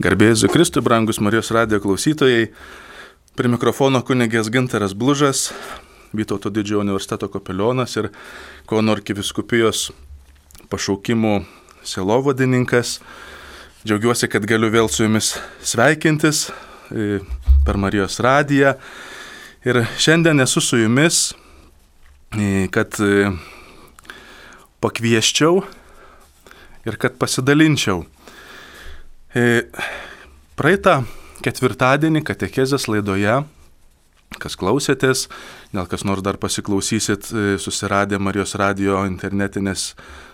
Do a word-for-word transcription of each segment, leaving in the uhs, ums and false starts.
Garbė Jėzui Kristui, brangus Marijos radijo klausytojai, prie mikrofono kunigės Gintaras Blužas, Vytauto Didžiojo universiteto kapelionas ir Kauno arkivyskupijos pašaukimų sielovadininkas. Džiaugiuosi, kad galiu vėl su jumis sveikintis per Marijos radiją. Ir šiandien esu su jumis, kad pakvieščiau ir kad pasidalinčiau. Praeitą ketvirtadienį katechezės laidoje, kas klausėtės, gal kas nors dar pasiklausysit susiradę Marijos radijo internetinės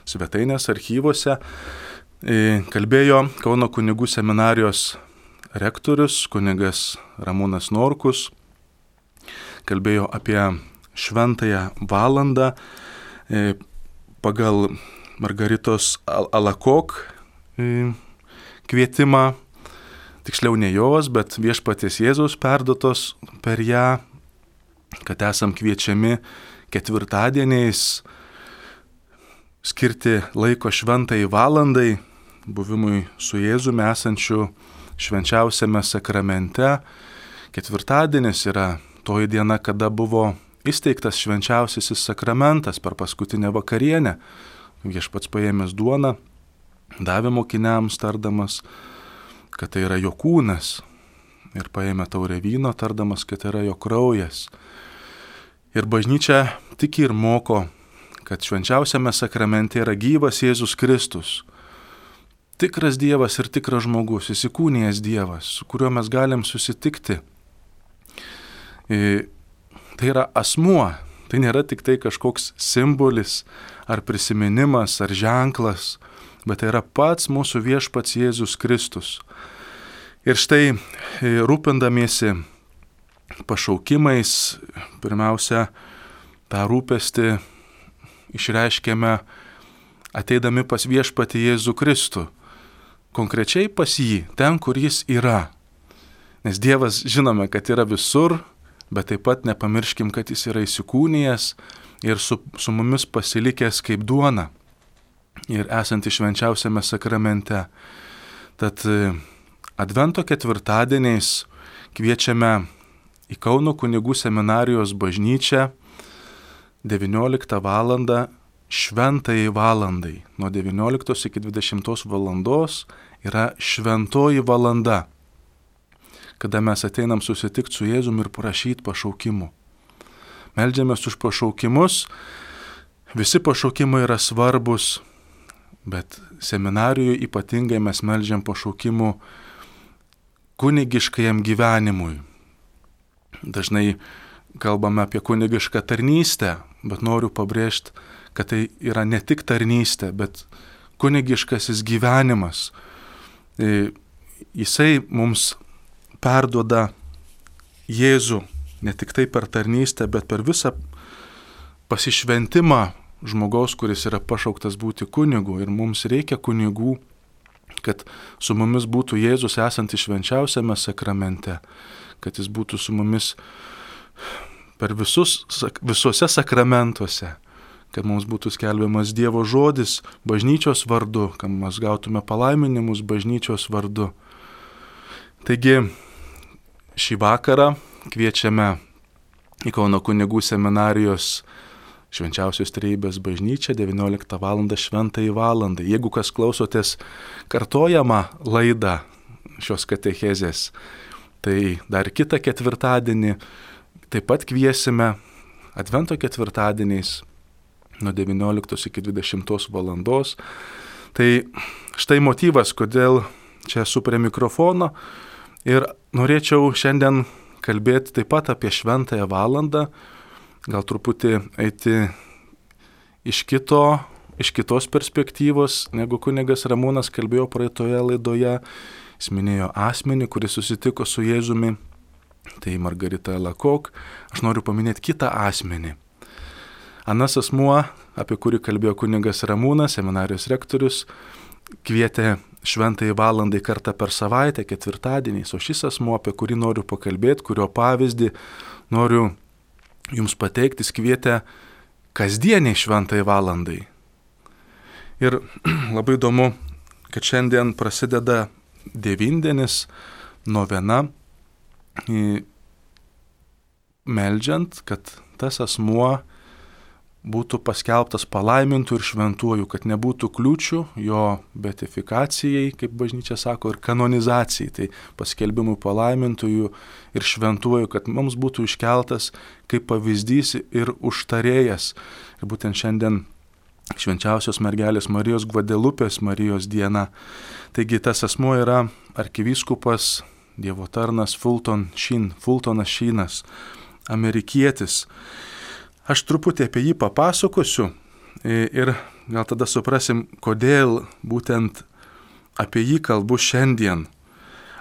svetainės archyvose, kalbėjo Kauno kunigų seminarijos rektorius, kunigas Ramūnas Norkus, kalbėjo apie šventąją valandą pagal Margaritos Alakok kvietimą, tiksliau ne jos, bet viešpaties Jėzaus perduotos per ją, kad esam kviečiami ketvirtadieniais skirti laiko šventai valandai, buvimui su Jėzumi esančiu švenčiausiame sakramente. Ketvirtadienis yra toji diena, kada buvo įsteigtas švenčiausiasis sakramentas per paskutinę vakarienę. Viešpats paėmęs duoną, davė mokiniams tardamas, kad tai yra jo kūnas, ir paėmė taurę vyno tardamas, kad tai yra jo kraujas. Ir bažnyčia tiki ir moko, kad švenčiausiame sakramente yra gyvas Jėzus Kristus, tikras Dievas ir tikras žmogus, įsikūnijęs Dievas, su kuriuo mes galim susitikti. Tai yra asmuo, tai nėra tik tai kažkoks simbolis ar prisiminimas ar ženklas, bet tai yra pats mūsų viešpats Jėzus Kristus. Ir štai rūpindamiesi pašaukimais, pirmiausia, tą rūpestį išreiškėme ateidami pas viešpatį Jėzų Kristų. Konkrečiai pas jį, ten, kur jis yra. Nes Dievas žinome, kad yra visur, bet taip pat nepamirškim, kad jis yra įsikūnijęs ir su, su mumis pasilikęs kaip duona ir esantį švenčiausiame sakramente. Tad Advento ketvirtadieniais kviečiame į Kauno kunigų seminarijos bažnyčią devynioliktą valandą šventajai valandai. Nuo devynioliktos iki dvidešimtos valandos yra šventoji valanda, kada mes ateinam susitikti su Jėzumi ir prašyti pašaukimų. Meldžiamės už pašaukimus, visi pašaukimai yra svarbus, bet seminarijoje ypatingai mes meldžiam pašaukimų kunigiškajam gyvenimui. Dažnai kalbame apie kunigišką tarnystę, bet noriu pabrėžti, kad tai yra ne tik tarnystė, bet kunigiškasis gyvenimas. Jisai mums perduoda Jėzų ne tik tai per tarnystę, bet per visą pasišventimą žmogaus, kuris yra pašauktas būti kunigu. Ir mums reikia kunigų, kad su mumis būtų Jėzus esantis švenčiausiame sakramente, kad jis būtų su mumis per visus, visuose sakramentuose, kad mums būtų skelbiamas Dievo žodis bažnyčios vardu, kad mes gautume palaiminimus bažnyčios vardu. Taigi šį vakarą kviečiame į Kauno kunigų seminarijos Švenčiausios Trejybės bažnyčią devynioliktą valandą šventai valandai. Jeigu kas klausotės kartojamą laidą šios katechezės, tai dar kitą ketvirtadienį taip pat kviesime Advento ketvirtadieniais nuo devynioliktos iki dvidešimtos valandos. Tai štai motyvas, kodėl čia esu prie mikrofono ir norėčiau šiandien kalbėti taip pat apie šventąją valandą, gal truputį eiti iš, kito, iš kitos perspektyvos, negu kunigas Ramūnas kalbėjo praeitoje laidoje. Jis minėjo asmenį, kuris susitiko su Jėzumi, tai Margarita Alakok. Aš noriu paminėti kitą asmenį. Anas asmuo, apie kurį kalbėjo kunigas Ramūnas, seminarijos rektorius, kvietė šventai valandai kartą per savaitę, ketvirtadieniais, o šis asmuo, apie kurį noriu pakalbėti, kurio pavyzdį noriu jums pateikti, kvietė kasdieniai šventai valandai. Ir labai įdomu, kad šiandien prasideda devindienis, novena, meldžiant, kad tas asmuo būtų paskelbtas palaimintų ir šventuoju, kad nebūtų kliūčių jo beatifikacijai, kaip bažnyčia sako, ir kanonizacijai, tai paskelbimui palaimintųjų ir šventuoju, kad mums būtų iškeltas kaip pavyzdys ir užtarėjas. Ir būtent šiandien švenčiausios mergelės Marijos Gvadelupės Marijos diena. Taigi tas asmuo yra arkivyskupas, Dievo tarnas Fulton Sheen, Fultonas Sheenas, amerikietis. Aš truputį apie jį papasakosiu ir gal tada suprasim, kodėl būtent apie jį kalbu šiandien.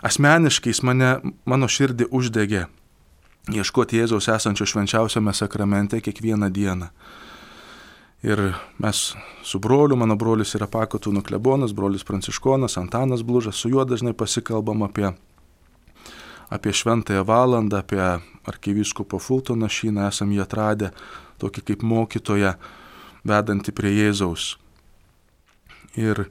Asmeniškai jis mane, mano širdį uždegė ieškoti Jėzaus esančio švenčiausiame sakramente kiekvieną dieną. Ir mes su broliu, mano brolis yra Pakotūnų klebonas, brolis Pranciškonas, Antanas Blužas, su juo dažnai pasikalbam apie apie šventąją valandą, apie arkivyskupą Fultoną Sheeną, esam jį atradę tokį kaip mokytoją, vedantį prie Jėzaus. Ir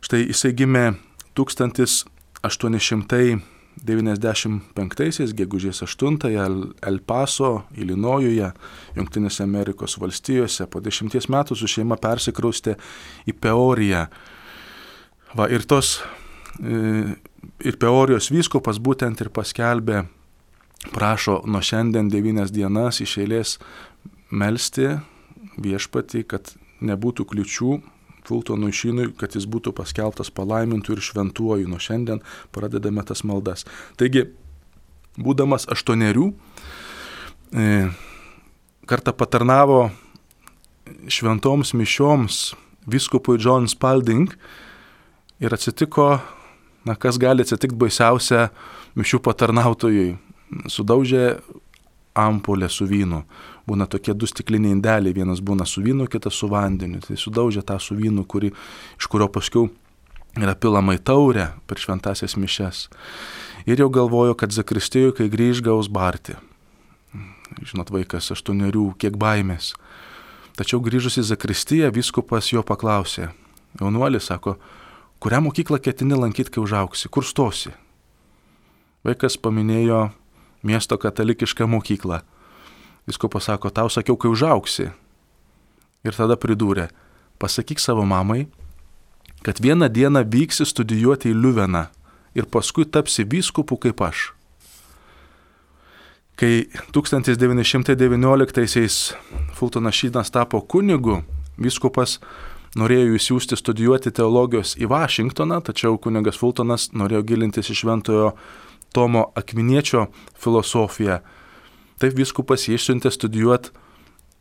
štai jisai gimė tūkstantis aštuoni šimtai devyniasdešimt penktaisiais, gegužės aštuntąją, El Paso, Ilinojuje, Jungtinėse Amerikos valstijose. Po dešimties metų su šeima persikraustė į Peoriją. Va, ir tos ir Peorijos vyskupas būtent ir paskelbė, prašo nuo šiandien devynias dienas iš eilės melsti viešpatį, kad nebūtų kliučių Fultonui Sheenui, kad jis būtų paskelbtas palaimintų ir šventuoju. Nuo šiandien pradedame tas maldas. Taigi, būdamas aštuonerių, kartą patarnavo šventoms mišioms vyskupui John Spalding ir atsitiko, na, kas gali atsitikti baisiausia mišių patarnautojui. Sudaužė ampulę su vynu. Būna tokie du stikliniai indeliai, vienas būna su vynu, kitas su vandeniu. Tai sudaužė tą su vynu, kuri, iš kurio paskiau yra pilama į taurę per šventasias mišes. Ir jau galvojo, kad zakristijoje, kai grįž, gaus barti. Žinot, vaikas aštuonerių, kiek baimės. Tačiau grįžus į zakristiją, vyskupas jo paklausė. Jaunuolis sako, kurią mokyklą ketini lankyti, kai užauksi? Kur stosi? Vaikas paminėjo miesto katalikišką mokyklą. Vyskupas sako, tau sakiau, kai užauksi. Ir tada pridūrė, pasakyk savo mamai, kad vieną dieną vyksi studijuoti į Liuveną ir paskui tapsi vyskupu kaip aš. Kai tūkstantis devyni šimtai devynioliktaisiais Fultonas Sheenas tapo kunigu, vyskupas norėjo įsiųsti studijuoti teologijos į Vašingtoną, tačiau kunigas Fultonas norėjo gilintis į šventojo Tomo Akviniečio filosofiją. Taip vyskupas jį išsiuntė studijuoti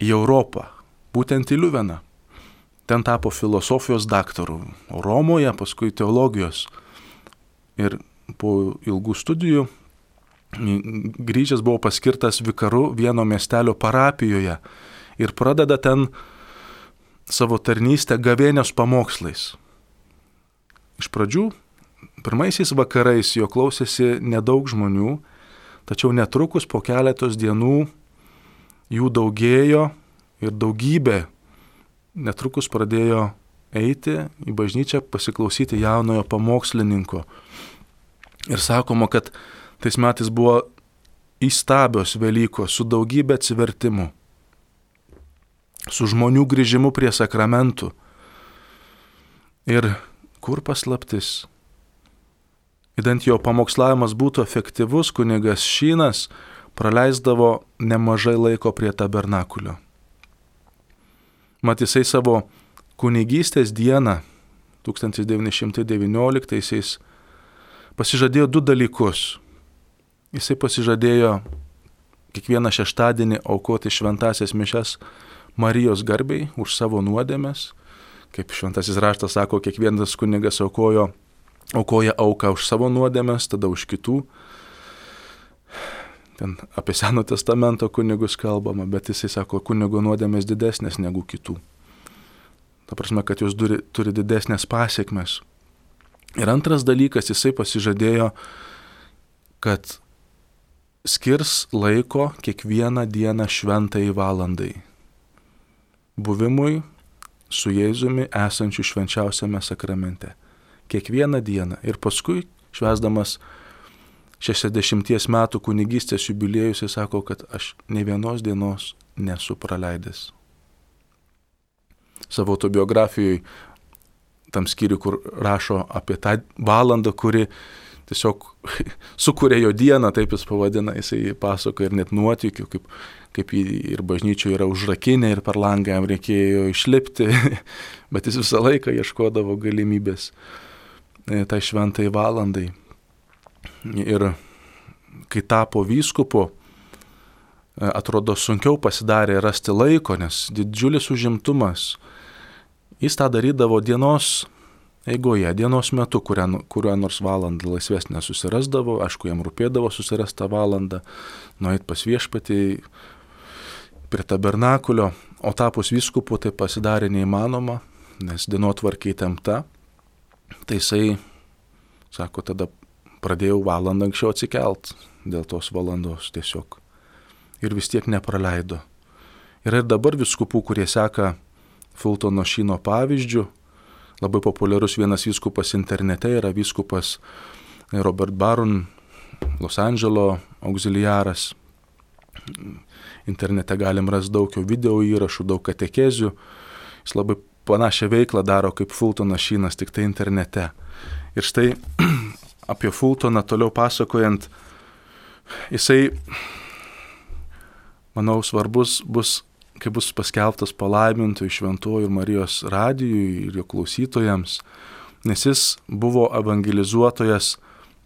į Europą, būtent į Liuveną. Ten tapo filosofijos daktaru, o Romoje paskui teologijos. Ir po ilgų studijų grįžęs buvo paskirtas vikaru vieno miestelio parapijoje ir pradeda ten savo tarnystę gavėnios pamokslais. Iš pradžių, pirmaisiais vakarais jo klausėsi nedaug žmonių, tačiau netrukus po keletos dienų jų daugėjo ir daugybė netrukus pradėjo eiti į bažnyčią pasiklausyti jaunojo pamokslininko. Ir sakoma, kad tais metais buvo įstabios Velykos su daugybė atsivertimų, su žmonių grįžimu prie sakramentų. Ir kur paslaptis? Idant jo pamokslavimas būtų efektyvus, kunigas Sheenas praleisdavo nemažai laiko prie tabernakulio. Mat jisai savo kunigystės dieną tūkstantis devyni šimtai devynioliktaisiais pasižadėjo du dalykus. Jisai pasižadėjo kiekvieną šeštadienį aukoti šventasias mišias Marijos garbei už savo nuodėmes. Kaip šventasis raštas sako, kiekvienas kunigas aukojo, aukoja auką už savo nuodėmes, tada už kitų. Ten apie Seno testamento kunigus kalbama, bet jisai sako, kunigo nuodėmės didesnės negu kitų. Ta prasme, kad jos turi, turi didesnės pasiekmes. Ir antras dalykas, jisai pasižadėjo, kad skirs laiko kiekvieną dieną šventai valandai. Buvimui su Jėzumi esančiu švenčiausiame sakramente. Kiekvieną dieną. Ir paskui švęsdamas šešiasdešimties metų kunigystės jubiliejus, jis sako, kad aš ne vienos dienos nesu praleidęs. Savo autobiografijoje, tam skyriui, kur rašo apie tą valandą, kuri tiesiog sukūrė jo dieną, taip jis pavadina, jisai pasako ir net nuotykių, kaip, kaip jį ir bažnyčioje yra užrakinę ir per langą jam reikėjo išlipti, bet jis visą laiką ieškodavo galimybės tai šventai valandai. Ir kai tapo vyskupu, atrodo sunkiau pasidarė rasti laiko, nes didžiulis užimtumas. Jis tą darydavo dienos eigoje, dienos metu, kurią, kurią nors valandą laisvesnę susirasdavo, aišku, jam rūpėdavo susirastą valandą, nueit pas viešpatį prie tabernakulio, o tapus vyskupu tai pasidarė neįmanoma, nes dienotvarkė įtempta. Tai jisai, sako, tada pradėjau valandą anksčiau atsikelt dėl tos valandos tiesiog. Ir vis tiek nepraleido. Yra ir dabar vyskupų, kurie seka Fultono Šyno pavyzdžių. Labai populiarus vienas vyskupas internete yra vyskupas Robert Barron, Los Andželo auxiliaras. Internete galim rasti daug jo video įrašų, daug katekezių. Jis labai panašią veiklą daro kaip Fultonas Šynas, tik tai internete. Ir štai apie Fultoną toliau pasakojant, jisai, manau, svarbus bus, kai bus paskelbtas palaimintojų šventojų Marijos radijui ir jo klausytojams, nes jis buvo evangelizuotojas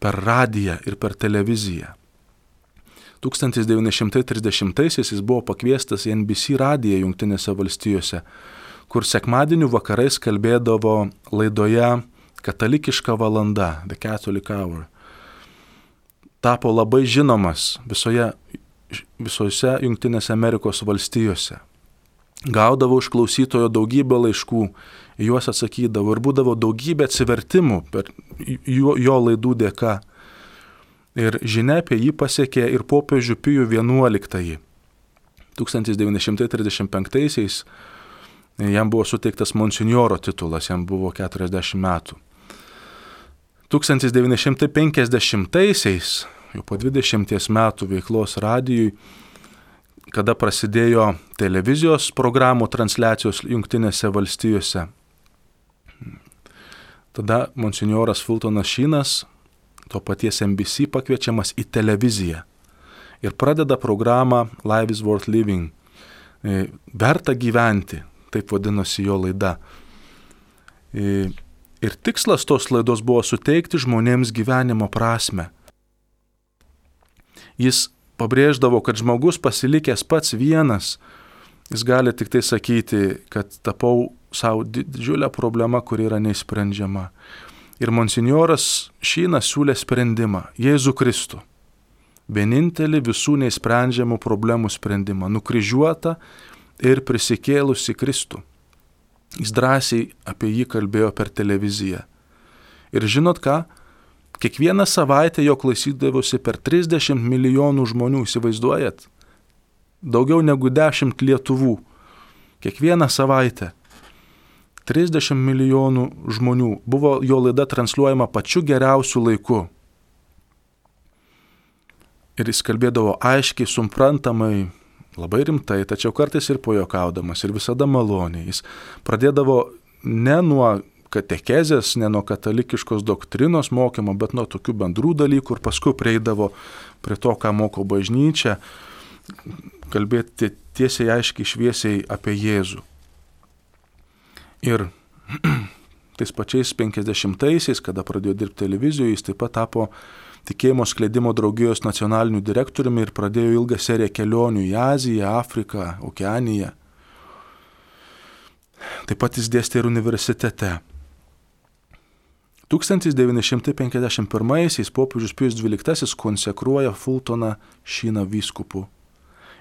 per radiją ir per televiziją. tūkstantis devyni šimtai trisdešimtaisiais jis buvo pakviestas į N B C radiją Jungtinėse valstijose, kur sekmadienių vakarais kalbėdavo laidoje Katalikiška valanda, The Catholic Hour. Tapo labai žinomas visoje, visose Jungtinėse Amerikos valstijose. Gaudavo iš klausytojo daugybę laiškų, juos atsakydavo ir būdavo daugybė atsivertimų per jo, jo laidų dėka. Ir žinia apie jį pasiekė ir popiežių Pijų vienuoliktąjį. tūkstantis devyni šimtai trisdešimt penktaisiais jam buvo suteiktas monsinjoro titulas, jam buvo keturiasdešimt metų. tūkstantis devyni šimtai penkiasdešimtaisiais, jau po dvidešimties metų veiklos radijui, kada prasidėjo televizijos programų transliacijos Jungtinėse valstijose, tada monsinjoras Fultonas Šynas, to paties N B C pakviečiamas į televiziją ir pradeda programą Life is Worth Living. Verta gyventi, taip vadinosi jo laida. Ir tikslas tos laidos buvo suteikti žmonėms gyvenimo prasmę. Jis pabrėždavo, kad žmogus pasilikęs pats vienas, jis gali tik tai sakyti, kad tapau savo didžiulę problemą, kuri yra neįsprendžiama. Ir monsinjoras Šynas siūlė sprendimą – Jėzų Kristų. Vienintelį visų neįsprendžiamų problemų sprendimą – nukryžiuotą ir prisikėlusi Kristų. Jis drąsiai apie jį kalbėjo per televiziją. Ir žinot ką? Kiekvieną savaitę jo klausydavosi per trisdešimt milijonų žmonių, įsivaizduojat? Daugiau negu dešimt Lietuvų. Kiekvieną savaitę. trisdešimt milijonų žmonių. Buvo jo laida transliuojama pačiu geriausiu laiku. Ir jis kalbėdavo aiškiai, suprantamai, labai rimtai, tačiau kartais ir pojokaudamas, ir visada maloniai. Jis pradėdavo ne nuo katekezės, ne nuo katalikiškos doktrinos mokymo, bet nuo tokių bendrų dalykų ir paskui prieidavo prie to, ką moko bažnyčia, kalbėti tiesiai, aiškiai, šviesiai apie Jėzų. Ir tais pačiais penkiasdešimtaisiais, kada pradėjo dirbti televizijoje, jis taip pat tapo tikėjimo skleidimo draugijos nacionaliniu direktoriumi ir pradėjo ilgą seriją kelionių į Aziją, Afriką, Okeaniją. Taip pat jis dėstė ir universitete. tūkstantis devyni šimtai penkiasdešimt pirmaisiais popiežius Pijus dvyliktasis konsekruoja Fultoną Šyną vyskupu.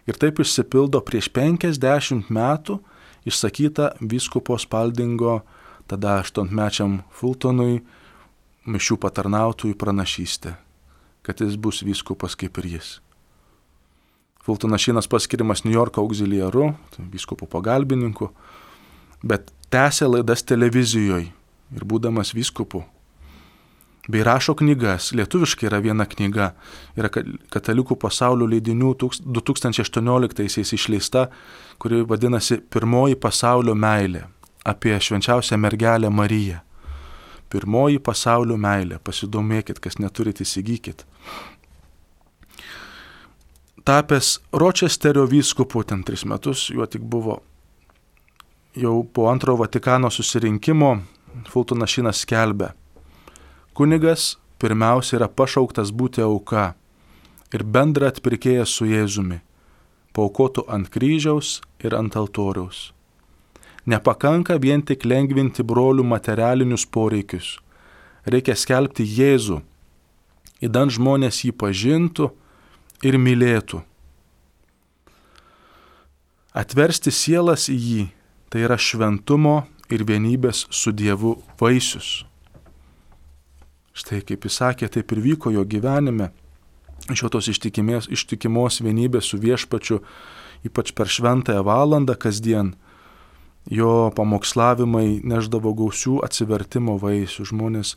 Ir taip išsipildo prieš penkiasdešimt metų išsakyta vyskupo Spaldingo, tada aštuonmečiam Fultonui, mišių patarnautojų pranašystė, kad jis bus vyskupas kaip ir jis. Fultonas Šynas paskiriamas New Yorko auxiliaru, vyskupo pagalbininku, bet tęsė laidas televizijoje ir būdamas vyskupu. bei rašo knygas. Lietuviškai yra viena knyga, yra Katalikų pasaulio leidinių du tūkstančiai aštuonioliktaisiais išleista, kuri vadinasi Pirmoji pasaulio meilė, apie švenčiausią mergelę Mariją. Pirmoji pasaulio meilė, pasidomėkit, kas neturit, įsigykit. Tapęs Ročesterio vyskupu, ten tris metus, juo tik buvo, jau po antrojo Vatikano susirinkimo, Fultonas Šynas skelbia: kunigas pirmiausia yra pašauktas būti auka ir bendra atpirkėjas su Jėzumi, paaukotų ant kryžiaus ir ant altoriaus. Nepakanka vien tik lengvinti brolių materialinius poreikius. Reikia skelbti Jėzų, idant žmonės jį pažintų ir mylėtų. Atversti sielas į jį, tai yra šventumo ir vienybės su Dievu vaisius. Štai kaip jis sakė, taip ir vyko jo gyvenime. Iš jo tos ištikimės, ištikimos vienybės su viešpačiu, ypač per šventąją valandą kasdien, jo pamokslavimai neždavo gausių atsivertimo vaisių. Žmonės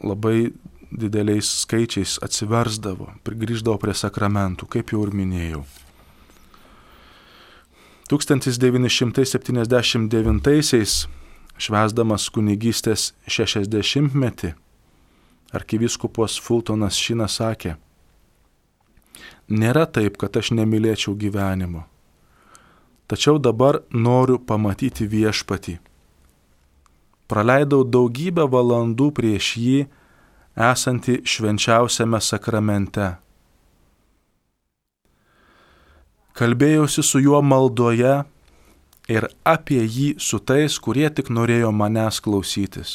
labai dideliais skaičiais atsiversdavo, grįždavo prie sakramentų, kaip jau ir minėjau. tūkstantis devyni šimtai septyniasdešimt devintaisiais, švęsdamas kunigystės šešiasdešimtmetį, arkivyskupas Fultonas Šynas sakė: nėra taip, kad aš nemylėčiau gyvenimo, tačiau dabar noriu pamatyti viešpatį. Praleidau daugybę valandų prieš jį, esantį švenčiausiame sakramente. Kalbėjausi su juo maldoje ir apie jį su tais, kurie tik norėjo manęs klausytis.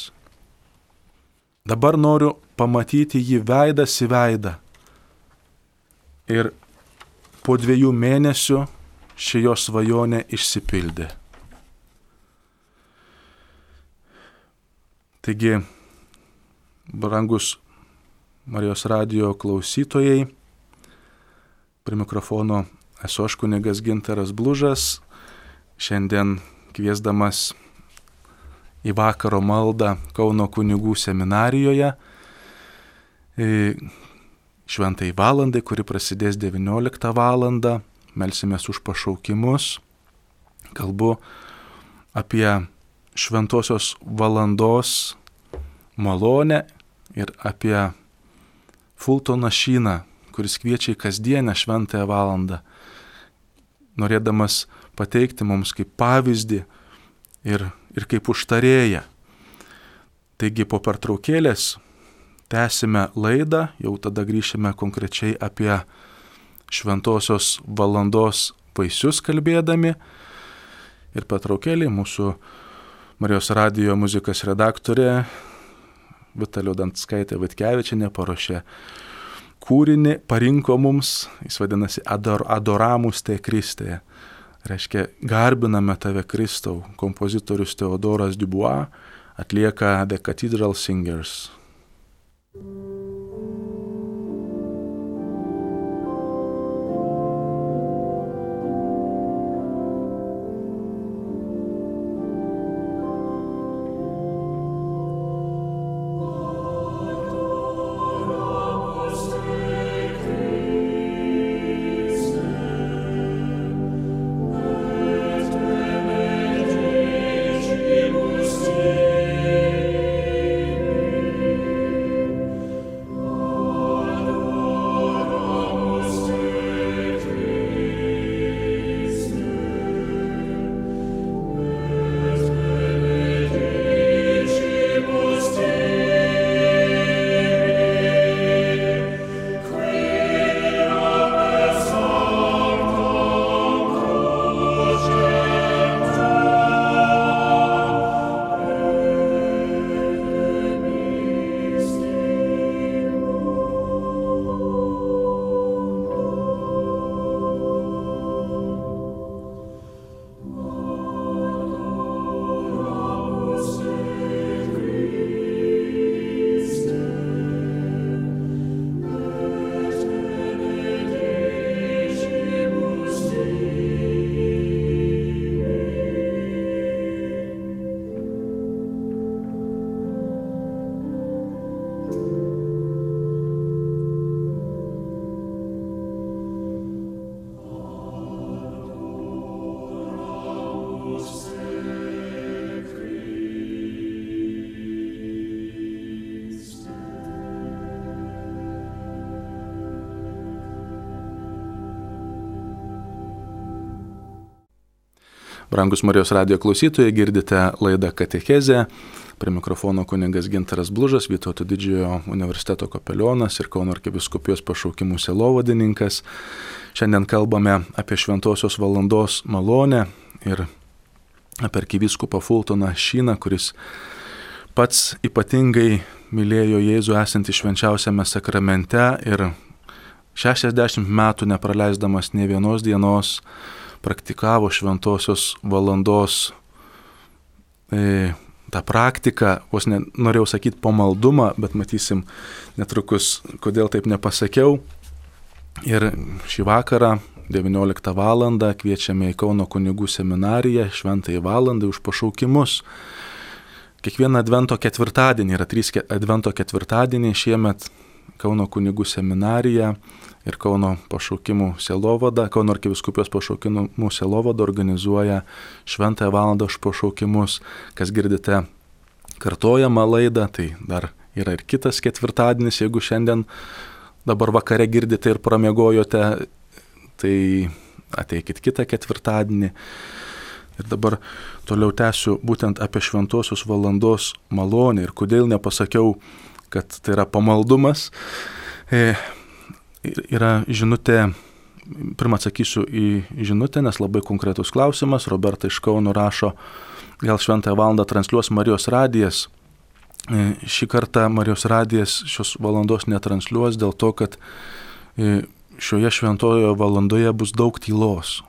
Dabar noriu pamatyti jį veidas į veidą. Ir po dviejų mėnesių ši jo svajonė išsipildė. Taigi, brangus Marijos radijo klausytojai, prie mikrofono esu aš kunigas Gintaras Blužas, šiandien kviesdamas į vakaro maldą Kauno kunigų seminarijoje šventai valandai, kuri prasidės devynioliktą valandą, melsimės už pašaukimus, kalbu apie šventosios valandos malonę ir apie Fultoną Šyną, kuris kviečia į kasdienę šventąją valandą, norėdamas pateikti mums kaip pavyzdį ir, ir kaip užtarėją. Taigi po pertraukėlės tęsime laidą, jau tada grįšime konkrečiai apie šventosios valandos vaisius kalbėdami. Ir pertraukėlė mūsų Marijos radijo muzikos redaktorė Vitalija Dantskaitė Vitkevičienė paruošė kūrinį, parinko mums, jis vadinasi Ador, Adoramus te Kriste. Reiškia, garbiname tave Kristau. Kompozitorius Teodoras Dubois atlieka The Cathedral Singers. Thank you. Brangus Marijos radijo klausytojai, girdite laidą Katechezė. Prie mikrofono kunigas Gintaras Blužas, Vytauto Didžiojo universiteto kapelionas ir Kauno arkivyskupijos pašaukimų sielovadininkas. Šiandien kalbame apie šventosios valandos malonę ir apie arkivyskupą Fultoną Šyną, kuris pats ypatingai mylėjo Jėzų esantį švenčiausiame sakramente ir šešiasdešimt metų nepraleisdamas nė vienos dienos praktikavo šventosios valandos e, tą praktiką, vos ne, norėjau sakyti pamaldumą, bet matysim netrukus, kodėl taip nepasakiau. Ir šį vakarą, devynioliktą valandą, kviečiame į Kauno kunigų seminariją, šventąjį valandą už pašaukimus. Kiekvieną advento ketvirtadienį, yra trys advento ketvirtadieniai šiemet, Kauno kunigų seminarija ir Kauno pašaukimų sielovada, Kauno arkivyskupijos pašaukimų sielovada organizuoja šventąją valandą už pašaukimus. Kas girdite kartojamą laidą, tai dar yra ir kitas ketvirtadienis, jeigu šiandien dabar vakare girdite ir pramiegojote, tai ateikit kitą ketvirtadienį. Ir dabar toliau tęsiu būtent apie šventosios valandos malonę ir kodėl nepasakiau, kad tai yra pamaldumas. E, yra žinutė, pirmą atsakysiu į žinutę, nes labai konkretus klausimas. Roberta iš Kauno rašo, gal šventąją valandą transliuos Marijos radijas. E, šį kartą Marijos radijas šios valandos netransliuos dėl to, kad e, šioje šventojoje valandoje bus daug tylos.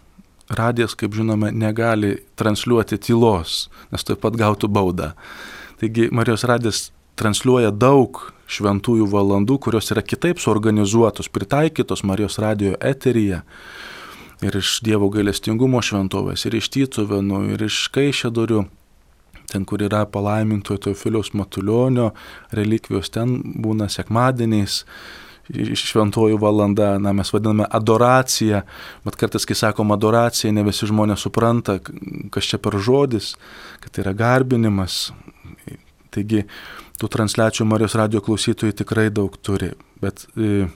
Radijas, kaip žinome, negali transliuoti tylos, nes taip pat gautų baudą. Taigi Marijos radijas transliuoja daug šventųjų valandų, kurios yra kitaip suorganizuotos, pritaikytos Marijos radijo eteryje. Ir iš Dievo gailestingumo šventovės, ir iš Tytuvėnų, ir iš Kaišiadorių, ten, kur yra palaimintojo Teofiliaus Matulionio relikvijos, ten būna sekmadieniais šventojų valanda, na, mes vadiname adoracija, bet kartais, kai sakom adoracija, ne visi žmonės supranta, kas čia per žodis, kad tai yra garbinimas. Taigi, tų transliacijų Marijos radijo klausytojai tikrai daug turi, bet e,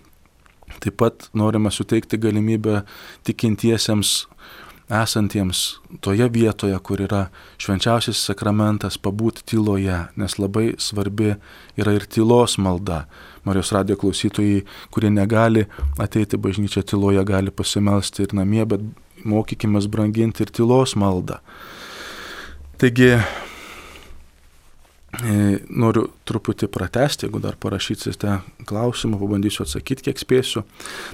taip pat norime suteikti galimybę tikintiesiems esantiems toje vietoje, kur yra švenčiausias sakramentas, pabūti tyloje, nes labai svarbi yra ir tylos malda. Marijos radijo klausytojai, kurie negali ateiti bažnyčią tyloje, gali pasimelsti ir namie, bet mokykimės branginti ir tylos maldą. Taigi, noriu truputį pratesti, jeigu dar parašysite klausimą, pabandysiu atsakyti, kiek spėsiu.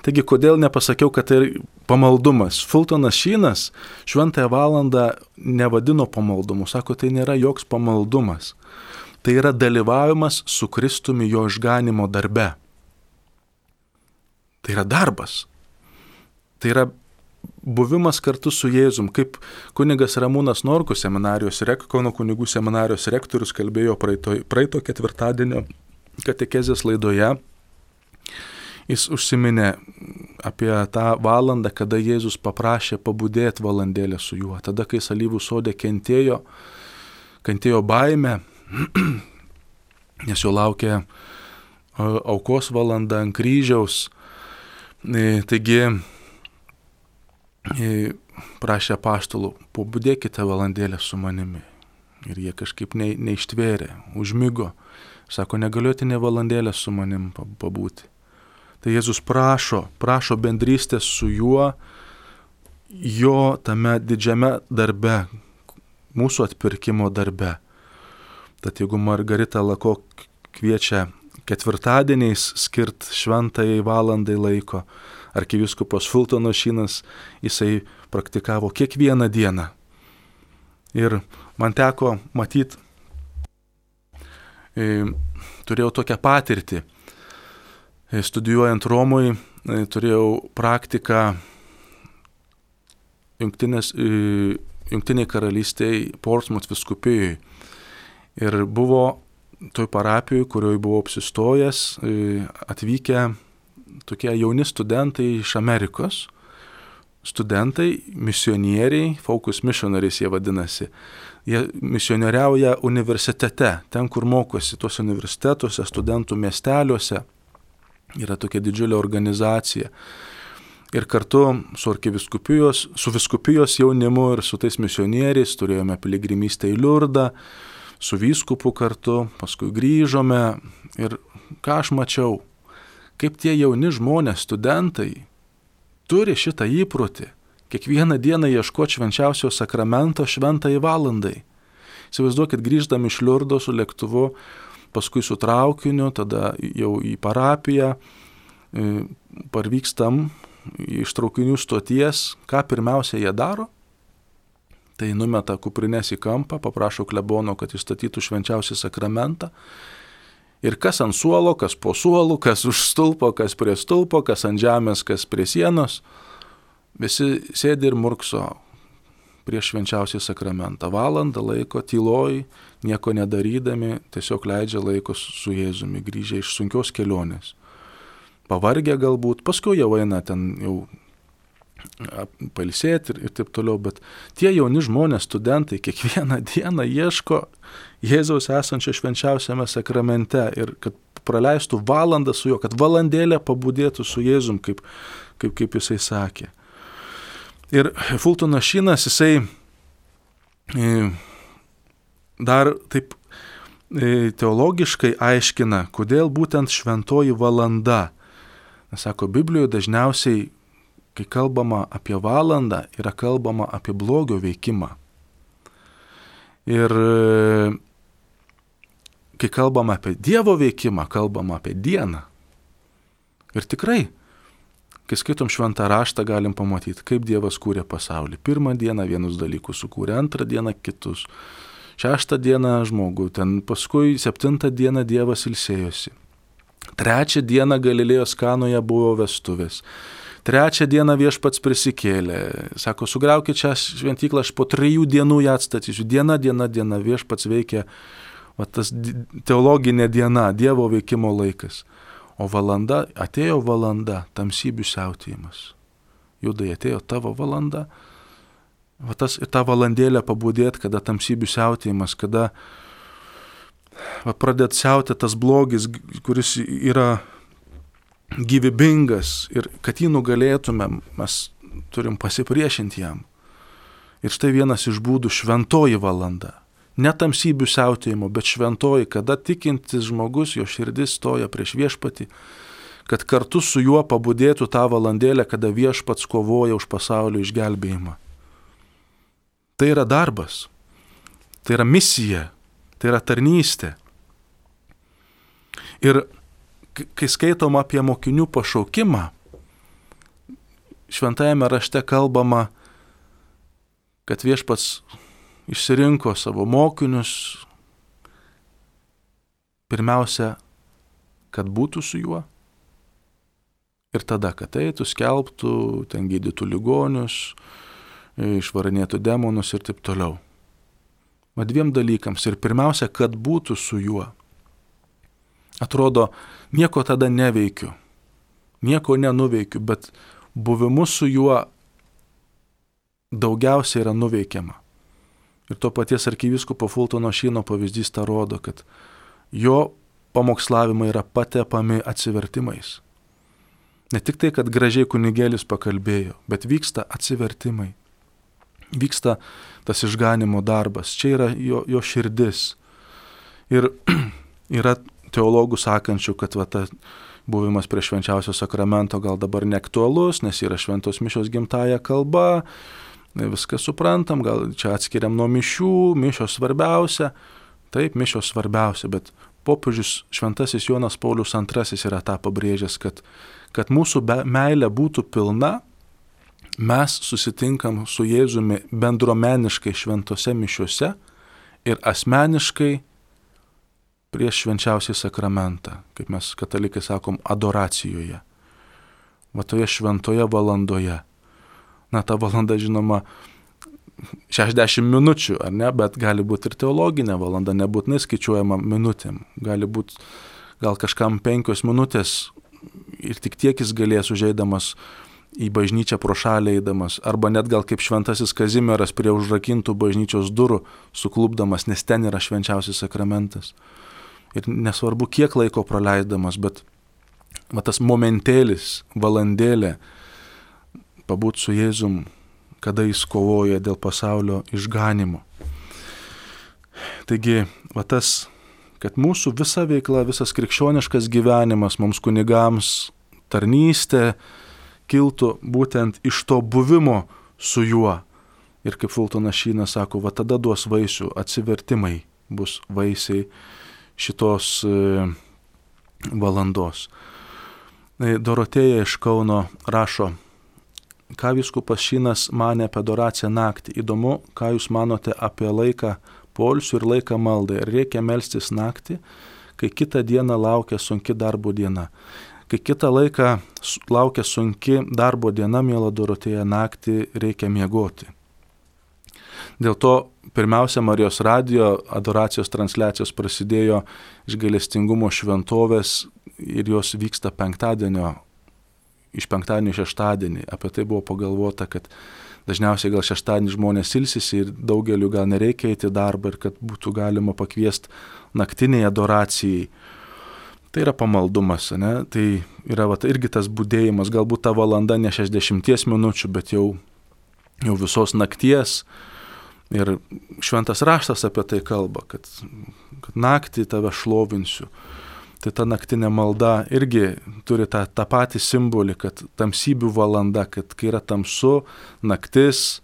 Taigi, kodėl nepasakiau, kad tai pamaldumas? Fultonas Šynas šventąją valandą nevadino pamaldumu, sako, tai nėra joks pamaldumas. Tai yra dalyvavimas su Kristumi jo išganimo darbe. Tai yra darbas. Tai yra buvimas kartu su Jėzum, kaip kunigas Ramūnas Norkus seminarijos, Kauno kunigų seminarijos rektorius kalbėjo praeito, praeito ketvirtadienio katechezės laidoje. Jis užsiminė apie tą valandą, kada Jėzus paprašė pabudėti valandėlę su juo. Tada, kai alyvų sode kentėjo, kentėjo baimę, nes jo laukė aukos valanda ant kryžiaus. Taigi, prašė apaštalų, pabudėkite valandėlę su manimi. Ir jie kažkaip ne, neištvėrė, užmigo. Sako, negaliuoti ne valandėlę su manim pabūti. Tai Jėzus prašo, prašo bendrystės su juo, jo tame didžiame darbe, mūsų atpirkimo darbe. Tad jeigu Margarita Lako kviečia ketvirtadieniais skirt šventajai valandai laiko, arkivyskupas Fultonas Šynas, jisai praktikavo kiekvieną dieną. Ir man teko matyti, e, turėjau tokią patirtį. E, studijuojant Romui, e, turėjau praktiką jungtinės, e, jungtiniai karalystėje Portsmouth vyskupijoje. Ir buvo toj parapijoje, kurioje buvau apsistojęs, e, atvykę tokie jauni studentai iš Amerikos, studentai, misionieriai, focus missionaries jie vadinasi. Jie misionieriauja universitete, ten, kur mokosi, tuose universitetuose, studentų miesteliuose. Yra tokia didžiulė organizacija. Ir kartu su arkivyskupijos, su vyskupijos jaunimu ir su tais misionieriais turėjome piligrimystę į Liurdą, su vyskupu kartu, paskui grįžome ir ką aš mačiau, kaip tie jauni žmonės, studentai, turi šitą įprotį kiekvieną dieną ieškoti švenčiausio sakramento šventai valandai. Įsivaizduokit, grįždami iš Liurdo su lėktuvu, paskui su traukiniu, tada jau į parapiją, parvykstam iš traukinių stoties, ką pirmiausia jie daro? Tai numeta kuprinės į kampą, paprašo klebono, kad įstatytų švenčiausią sakramentą. Ir kas ant suolo, kas po suolų, kas už stulpo, kas prie stulpo, kas ant žemės, kas prie sienos, visi sėdi ir murkso prieš švenčiausią sakramentą. Valandą laiko tyloj, nieko nedarydami, tiesiog leidžia laiko su Jėzumi, grįžę iš sunkios kelionės. Pavargę galbūt, paskui jau eina ten jau pailsėti ir, ir taip toliau, bet tie jauni žmonės, studentai, kiekvieną dieną ieško Jėzaus esančio švenčiausiame sakramente ir kad praleistų valandą su juo, kad valandėlę pabudėtų su Jėzum, kaip, kaip, kaip jisai sakė. Ir Fultonas Šynas, jisai dar taip teologiškai aiškina, kodėl būtent šventoji valanda. Nes sako, Biblijoje dažniausiai, kai kalbama apie valandą, yra kalbama apie blogio veikimą. Ir kai kalbama apie Dievo veikimą, kalbama apie dieną. Ir tikrai, kai skaitom šventą raštą, galim pamatyti, kaip Dievas kūrė pasaulį. Pirmą dieną vienus dalykus sukūrė, antrą dieną kitus. Šeštą dieną žmogų, ten paskui septintą dieną Dievas ilsėjosi. Trečią dieną Galilėjos Kanoje buvo vestuvės. Trečią dieną Viešpats prisikėlė. Sako, sugriaukit šią šventyklą, aš po trijų dienų ją atstatysiu. Diena, diena, diena. Viešpats veikia, va, tas teologinė diena, Dievo veikimo laikas. O valanda, atėjo valanda, tamsybių siautėjimas. Judai, atėjo tavo valanda. Va, tas, ir tą valandėlę pabudėt, kada tamsybių siautėjimas, kada va, pradėt siauti tas blogis, kuris yra gyvybingas ir kad jį nugalėtumėm, mes turim pasipriešinti jam. Ir štai vienas iš būdų šventoji valanda. Ne tamsybių siautėjimo, bet šventoji, kada tikintis žmogus, jo širdis stoja prieš Viešpatį, kad kartu su juo pabudėtų tą valandėlę, kada Viešpats kovoja už pasaulio išgelbėjimą. Tai yra darbas, tai yra misija, tai yra tarnystė. Ir kai skaitom apie mokinių pašaukimą, šventajame rašte kalbama, kad Viešpats išsirinko savo mokinius, pirmiausia, kad būtų su juo, ir tada, kad eitų, skelbtų, ten gydytų ligonius, išvarinėtų demonus ir taip toliau. Ma dviem dalykams. Ir pirmiausia, kad būtų su juo. Atrodo, nieko tada neveikiu, nieko nenuveikiu, bet buvimu su juo daugiausiai yra nuveikiama. Ir to paties arkivyskupo Fultono Šyno pavyzdys tą rodo, kad jo pamokslavimai yra patepami atsivertimais. Ne tik tai, kad gražiai kunigėlis pakalbėjo, bet vyksta atsivertimai. Vyksta tas išganimo darbas. Čia yra jo, jo širdis. Ir yra teologų sakančių, kad va, ta buvimas prie švenčiausio sakramento gal dabar neaktualus, nes yra šventos mišios gimtąja kalba, viską suprantam, gal čia atskiriam nuo mišių, mišios svarbiausia. Taip, mišios svarbiausia, bet popiežius šventasis Jonas Paulius antrasis yra tą pabrėžęs, kad, kad mūsų meilė būtų pilna, mes susitinkam su Jėzumi bendruomeniškai šventose mišiuose ir asmeniškai prieš švenčiausią sakramentą, kaip mes katalikai sakom, adoracijoje. Va toje šventoje valandoje. Na, ta valanda, žinoma, šešiasdešimt minučių, ar ne, bet gali būti ir teologinė valanda, nebūtinai skaičiuojama minutėm. Gali būti gal kažkam penkios minutės ir tik tiek jis galės užeidamas į bažnyčią pro šalį eidamas, arba net gal kaip šventasis Kazimieras prie užrakintų bažnyčios durų suklupdamas, nes ten yra švenčiausias sakramentas. Ir nesvarbu, kiek laiko praleisdamas, bet va, tas momentėlis, valandėlė, pabūti su Jėzum, kada jis kovoja dėl pasaulio išganimo. Taigi, va tas, kad mūsų visa veikla, visas krikščioniškas gyvenimas, mums kunigams tarnystė kiltų būtent iš to buvimo su juo. Ir kaip Fultonas Šynas sako, va tada duos vaisių, atsivertimai bus vaisiai šitos e, valandos. E, Dorotėja iš Kauno rašo, ką vyskupas Šynas manė apie adoraciją naktį. Įdomu, ką jūs manote apie laiką poilsiui ir laiką maldai. Ar reikia melstis naktį, kai kitą dieną laukia sunki darbo diena? Kai kitą laiką laukia sunki darbo diena, miela Dorotėja, naktį reikia miegoti. Dėl to pirmiausia Marijos radijo adoracijos transliacijos prasidėjo iš gailestingumo šventovės ir jos vyksta penktadienio, iš penktadienio į šeštadienį. Apie tai buvo pagalvota, kad dažniausiai gal šeštadienį žmonės ilsisi ir daugeliu gal nereikia eiti į darbą ir kad būtų galima pakviesti naktiniai adoracijai. Tai yra pamaldumas, ne? Tai yra va, irgi tas budėjimas, galbūt ta valanda ne šešiasdešimties minučių, bet jau, jau visos nakties. Ir šventas raštas apie tai kalba, kad, kad naktį tave šlovinsiu. Tai ta naktinė malda irgi turi tą, tą patį simbolį, kad tamsybių valanda, kad kai yra tamsu, naktis,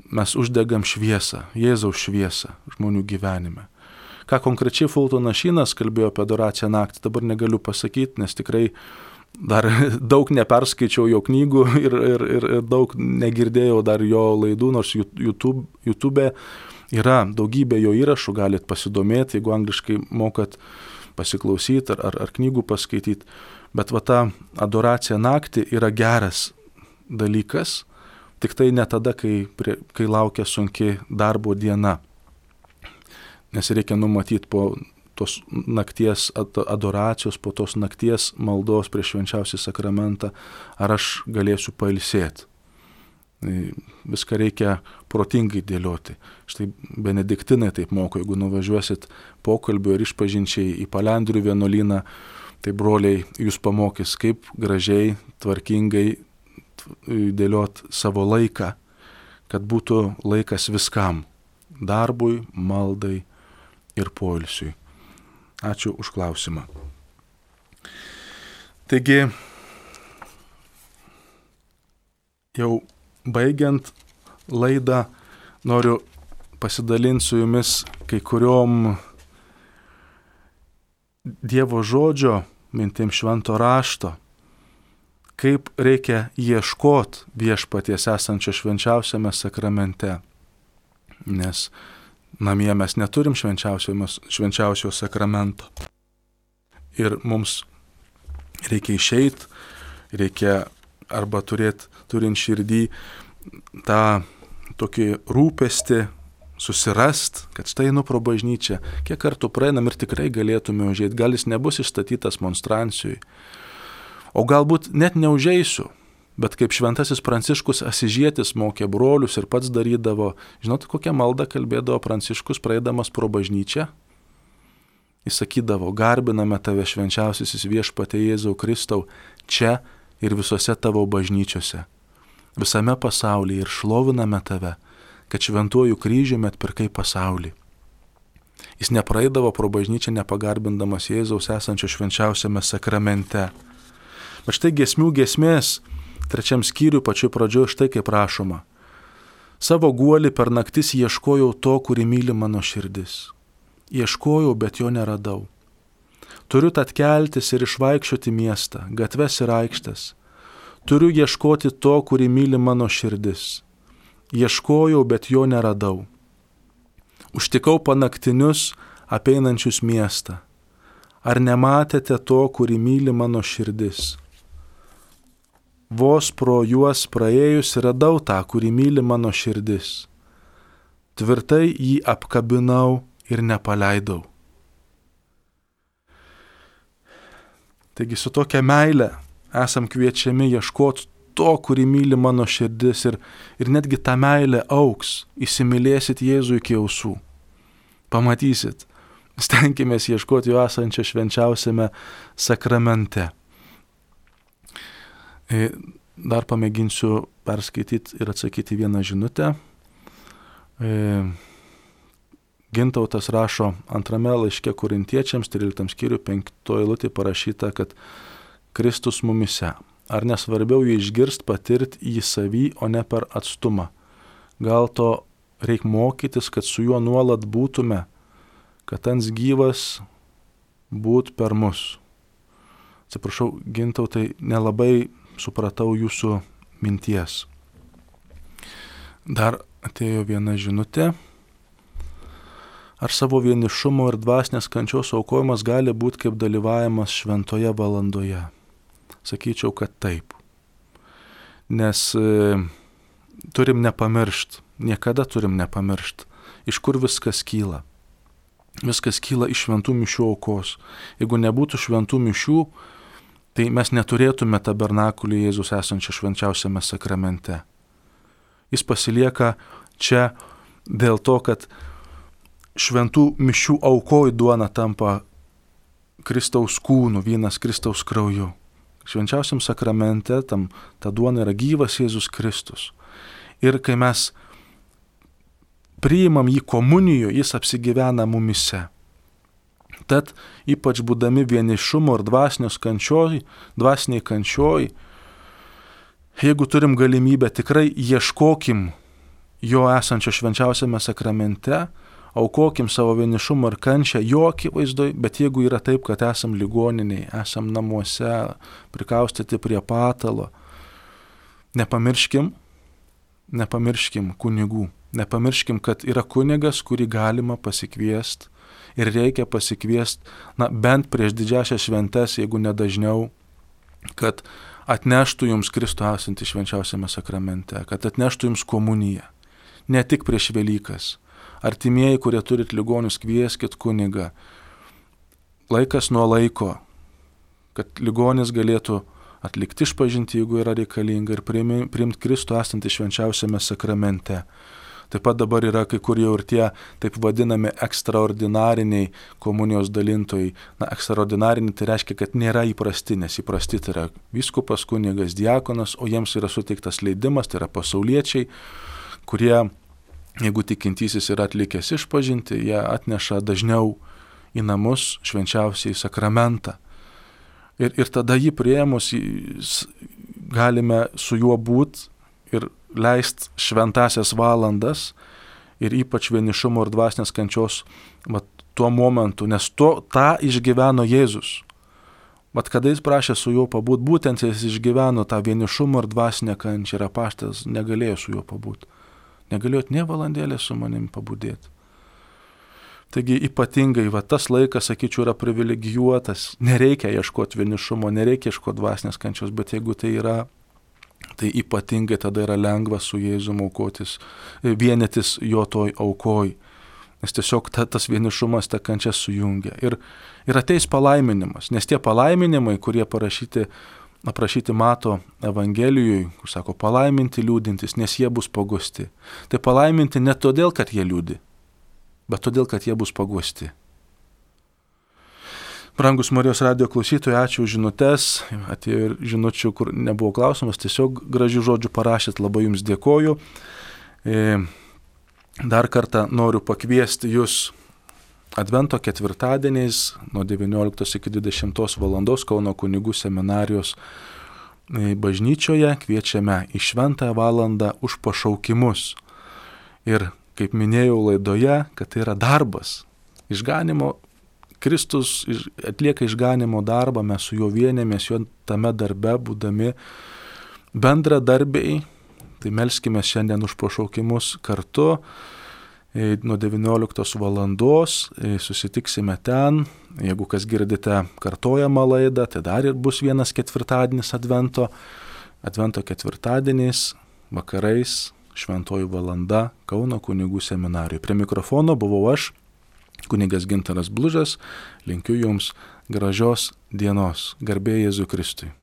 mes uždegam šviesą, Jėzaus šviesą žmonių gyvenime. Ką konkrečiai Fultonas Šynas kalbėjo apie adoraciją naktį, dabar negaliu pasakyti, nes tikrai dar daug neperskaičiau jo knygų ir, ir, ir, ir daug negirdėjau dar jo laidų, nors YouTube, YouTube yra daugybė jo įrašų, galit pasidomėti, jeigu angliškai mokat pasiklausyti ar, ar, ar knygų paskaityti. Bet va ta adoracija naktį yra geras dalykas, tik tai ne tada, kai, prie, kai laukia sunki darbo diena. Nes reikia numatyti po tos nakties adoracijos, po tos nakties maldos prieš švenčiausią sakramentą, ar aš galėsiu pailsėti. Viską reikia protingai dėlioti. Štai benediktinai taip moko, jeigu nuvažiuosit pokalbio ir išpažinčiai į Palendrių vienuolyną, tai broliai jūs pamokys, kaip gražiai, tvarkingai dėliot savo laiką, kad būtų laikas viskam – darbui, maldai ir poilsiui. Ačiū už klausimą. Taigi, jau baigiant laidą, noriu pasidalinti su jumis kai kuriom Dievo žodžio mintim švento rašto, kaip reikia ieškoti viešpaties esančio švenčiausiame sakramente. Nes namie mes neturim švenčiausio sakramento. Ir mums reikia išeiti, reikia arba turėti, turint širdį tą tokį rūpestį, susirast, kad štai einu pro bažnyčią, kiek kartų praeinam ir tikrai galėtume užeiti, gal jis nebus išstatytas monstrancijui. O galbūt net neužeisiu. Bet kaip šventasis Pranciškus Asižietis mokė brolius ir pats darydavo, žinot, kokią maldą kalbėdavo Pranciškus praeidamas pro bažnyčią? Jis sakydavo, garbiname tave švenčiausiasis viešpatie Jėzau Kristau, čia ir visose tavo bažnyčiose, visame pasaulyje ir šloviname tave, kad šventuoju kryžiumi atpirkai pasaulį. Jis nepraeidavo pro bažnyčią nepagarbindamas Jėzaus esančio švenčiausiame sakramente. Bet štai giesmių giesmės trečiam skyriui pačioj pradžioj štai kaip rašoma. Savo guolį per naktis ieškojau to, kurį myli mano širdis. Ieškojau, bet jo neradau. Turiu tad keltis ir išvaikščioti miestą, gatves ir aikštes. Turiu ieškoti to, kurį myli mano širdis. Ieškojau, bet jo neradau. Užtikau panaktinius, apeinančius miestą. Ar nematėte to, kurį myli mano širdis? Vos pro juos praėjus radau tą, kurį myli mano širdis. Tvirtai jį apkabinau ir nepaleidau. Taigi su tokia meile esam kviečiami ieškoti to, kurį myli mano širdis ir, ir netgi ta meilė auks, įsimylėsit Jėzų iki ausų. Pamatysit, stenkimės ieškoti jo esančio švenčiausiame sakramente. Dar pamėginsiu perskaityti ir atsakyti vieną žinutę. E, Gintautas rašo antrame laiške Korintiečiams, tryliktam skyriui, penktoje eilutėje parašyta, kad Kristus mumise. Ar nesvarbiau jį išgirst, patirti jį savy, o ne per atstumą? Gal to reik mokytis, kad su juo nuolat būtume, kad ans gyvas būt per mus. Atsiprašau, Gintautai, nelabai supratau jūsų minties. Dar atėjo viena žinutė. Ar savo vienišumo ir dvasinės kančios aukojimas gali būti kaip dalyvavimas šventoje valandoje? Sakyčiau, kad taip. Nes e, turim nepamiršt, niekada turim nepamiršt, iš kur viskas kyla. Viskas kyla iš šventų mišių aukos. Jeigu nebūtų šventų mišių, tai mes neturėtume tabernakulį Jėzus esančią švenčiausiame sakramente. Jis pasilieka čia dėl to, kad šventų mišių aukoj duona tampa Kristaus kūnu, vynas Kristaus krauju. Švenčiausiam sakramente tam, ta duona yra gyvas Jėzus Kristus. Ir kai mes priimam jį komunijoje, jis apsigyvena mumise. Tad ypač būdami vienišumo ir dvasinios kančioj, dvasiniai kančioj, jeigu turim galimybę, tikrai ieškokim jo esančio švenčiausiame sakramente, aukokim savo vienišumą ir kančią jo akivaizdoj, bet jeigu yra taip, kad esam ligoniniai, esam namuose, prikaustyti prie patalo, nepamirškim, nepamirškim kunigų, nepamirškim, kad yra kunigas, kurį galima pasikviesti ir reikia pasikviesti, na, bent prieš didžiąsias šventes, jeigu nedažniau, kad atneštų jums Kristų esantį švenčiausiame sakramente, kad atneštų jums komuniją, ne tik prieš Velykas. Artimieji, kurie turit ligonius, kvieskit kunigą. Laikas nuo laiko, kad ligonis galėtų atlikti išpažintį, jeigu yra reikalinga, ir priimti Kristų esantį švenčiausiame sakramente. Taip pat dabar yra kai kur jau ir tie taip vadinami ekstraordinariniai komunijos dalintojai. Na, ekstraordinariniai tai reiškia, kad nėra įprasti, nes įprasti tai yra vyskupas, kunigas, diakonas, o jiems yra suteiktas leidimas, tai yra pasauliečiai, kurie, jeigu tikintysis yra atlikęs išpažintį, jie atneša dažniau į namus švenčiausiai sakramentą. Ir, ir tada jį priėmus galime su juo būti ir leist šventasias valandas ir ypač vienišumo ir dvasinės kančios vat, tuo momentu, nes to, tą išgyveno Jėzus. Vat kada jis prašė su juo pabūt, būtent jis išgyveno tą vienišumo ir dvasinę kančią ir apaštalas negalėjo su juo pabūt. Negalėjot nė valandėlę su manim pabudėti. Taigi ypatingai va, tas laikas, sakyčiau, yra privilegijuotas. Nereikia ieškoti vienišumo, nereikia ieškoti dvasinės kančios, bet jeigu tai yra, tai ypatingai tada yra lengva su Jėzum aukotis, vienytis jo toj aukoj. Nes tiesiog ta, tas vienišumas, ta kančia sujungia. Ir, ir ateis palaiminimas, nes tie palaiminimai, kurie parašyti, aprašyti Mato Evangelijoje, kur sako palaiminti liūdintys, nes jie bus paguosti. Tai palaiminti ne todėl, kad jie liūdi, bet todėl, kad jie bus paguosti. Brangus Marijos radijo klausytojai, ačiū už žinutes. Atėjo ir žinučių, kur nebuvo klausimas, tiesiog gražių žodžių parašėt, labai jums dėkoju. Dar kartą noriu pakviesti jūs Advento ketvirtadieniais nuo devynioliktos iki dvidešimtos valandos Kauno kunigų seminarijos bažnyčioje kviečiame į šventąją valandą už pašaukimus. Ir kaip minėjau laidoje, kad tai yra darbas. Išganimo, Kristus atlieka išganimo darbą, mes su juo vienėmės, jo tame darbe būdami bendradarbiai. Tai melskime šiandien už pašaukimus kartu. Nuo devynioliktos valandos susitiksime ten. Jeigu kas girdite kartojamą laidą, tai dar ir bus vienas ketvirtadienis Advento. Advento ketvirtadieniais, vakarais, šventoji valanda Kauno kunigų seminarijoje. Prie mikrofono buvau aš, kunigas Gintaras Blužas. Linkiu jums gražios dienos. Garbė Jėzui Kristui.